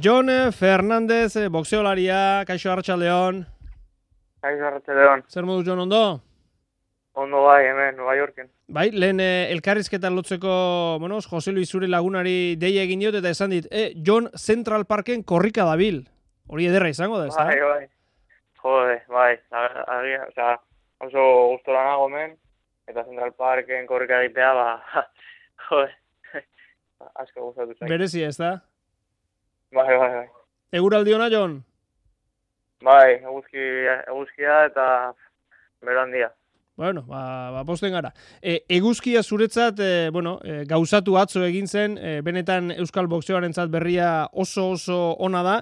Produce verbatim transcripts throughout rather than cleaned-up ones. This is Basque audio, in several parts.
Jon Fernandez, boxeolaria, kaixo Arratsaldeon. Kaixo Arratsaldeon. Zer moduz Jon, ondo? Ondo bai, hemen, Nueva Yorken. Bai, lehen eh, elkarrizketan lotzeko, bueno, Jose Luis zure lagunari deia egin diot eta esan dit, eh, Jon Central Parken korrika dabil. Hori ederra izango da, ezta? Bai, bai. Jode, bai. Agia, osea, oso gustora nago hemen, eta Central Parken korrika egitea, ba, jode, asko gustatu zait. Berezia, ezta? Bai, bai, bai. Eguraldi ona, Jon? Bai, eguzki, eguzkia eta bero handia. Bueno, ba, ba posten gara. E, eguzkia zuretzat, e, bueno, e, gauzatu atzo egin zen, e, benetan Euskal Boxeoarentzat berria oso oso ona da.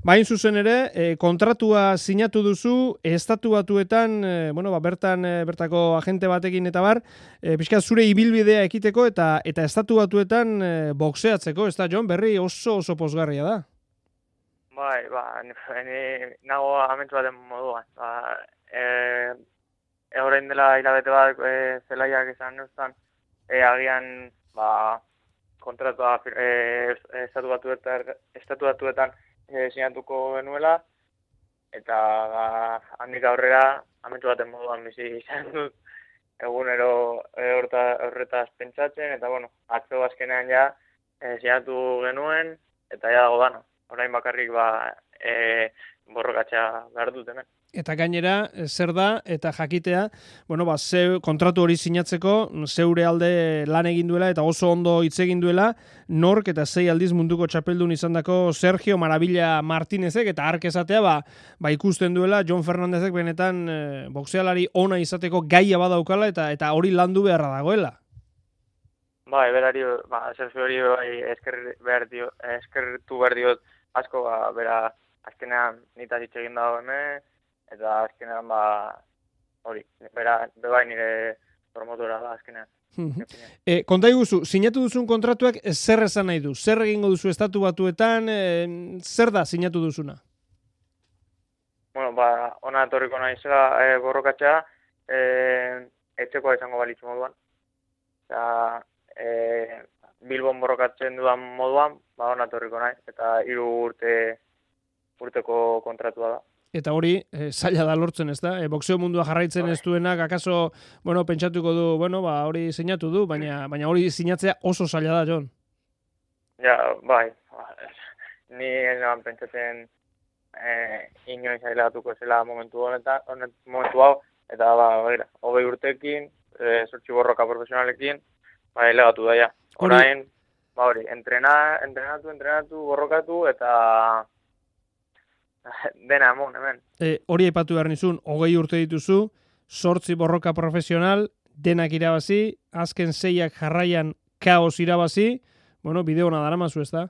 Bain zuzen ere, e, kontratua sinatu duzu, estatu batuetan, e, bueno, ba, bertan e, bertako agente batekin eta bar, e, pixka zure ibilbidea ekiteko eta eta estatu batuetan e, boxeatzeko, ez da, Jon, berri oso oso pozgarria da. Bai, ba, ni, ni nago amentu baten moduan. Ba, e, e, orain dela hilabete bat e, zelaiak izan neuztan, e, agian, ba, kontratua e, estatu batuetan, estatu batuetan e, sinatuko genuela, eta ba, handik aurrera amentu baten moduan bizi izan dut egunero e, horta, horretaz pentsatzen, eta bueno, atzo azkenean ja e, sinatu genuen, eta ja dago dana. Orain bakarrik ba, e, borrokatzea behar dut hemen. Eta gainera, zer da, eta jakitea, bueno, ba, ze, kontratu hori sinatzeko, zeure alde lan egin duela, eta oso ondo hitz egin duela, nork eta sei aldiz munduko txapeldun izandako Sergio Maravilla Martínezek, eta ark esatea, ba, ba ikusten duela, Jon Fernandezek benetan e, boxealari ona izateko gaia badaukala, eta eta hori landu beharra dagoela. Bai, berari, ba, Sergio hori bai, esker, behar dio, eskertu behar diot asko, ba, bera, azkenean nitaz hitz egin dago hemen, eta azkenean, ba, hori, bera, bebai nire promotora da azkenean. e, konta iguzu, sinatu duzun kontratuak zer esan nahi du? Zer egingo duzu estatu batuetan, e, zer da sinatu duzuna? Bueno, ba, ona etorriko naizela e, borrokatzea, e, etxekoa izango balitzu moduan. Eta, e, Bilbon borrokatzen dudan moduan, ba, ona etorriko naiz, eta hiru urte urteko kontratua da. Eta hori, e, zaila da lortzen, ez da? E, boxeo mundua jarraitzen ez duenak, akaso, bueno, pentsatuko du, bueno, ba, hori sinatu du, baina baina hori sinatzea oso zaila da, Jon. Ja, bai. Ni ez nahan pentsatzen eh, inoiz ailegatuko zela momentu honetan, honet, momentu hau, eta ba, baira, hogei urtekin, e, zortzi borroka profesionalekin, ba, ailegatu da, ja. Orain, ba, hori, entrena, entrenatu, entrenatu, borrokatu, eta dena emon, hemen. E, hori aipatu behar nizun, hogei urte dituzu, zortzi borroka profesional, denak irabazi, azken seiak jarraian kaos irabazi, bueno, bideo hona daramazu, ez da?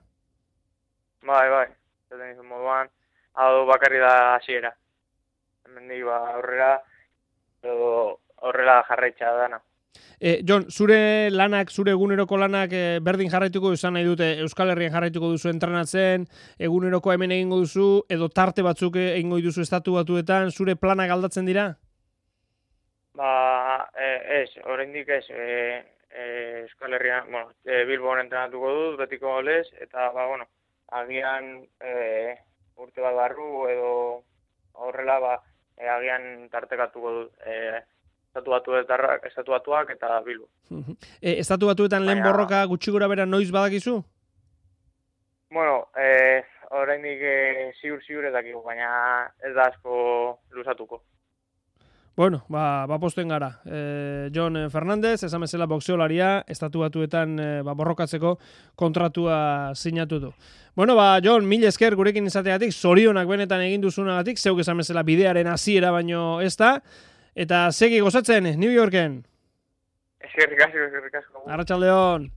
Bai, bai, zaten izan moduan, hau bakarri da hasiera. Hemen dik, ba, aurrera, edo horrela jarraitza dana. E, Jon, zure lanak, zure eguneroko lanak e, berdin jarraituko izan nahi dute, Euskal Herrian jarraituko duzu entrenatzen, eguneroko hemen egingo duzu, edo tarte batzuk egingo duzu estatu batuetan, zure planak aldatzen dira? Ba, e, ez, oraindik ez, e, e, Euskal Herrian, bueno, e, Bilbon entrenatuko dut, betiko lez, eta, ba, bueno, agian e, urte bat barru, edo horrela, ba, e, agian tartekatuko dut, e, Estatu batuetarrak, estatu batuak eta Bilbo. e, estatu batuetan lehen borroka gutxi gora bera noiz badakizu? Bueno, eh, oraindik eh, ziur-ziur ez dakigu, baina ez da asko luzatuko. Bueno, ba, ba posten gara. E, Jon Fernandez, esan bezala boxeolaria, estatu batuetan e, ba, borrokatzeko kontratua sinatu du. Bueno, ba, Jon, mil esker gurekin izateagatik, zorionak benetan egin duzunagatik, zeuk esan bezala bidearen hasiera baino ez da, eta segi gozatzen, New Yorken. Eskerrik asko, eskerrik asko. Arratsaldeon.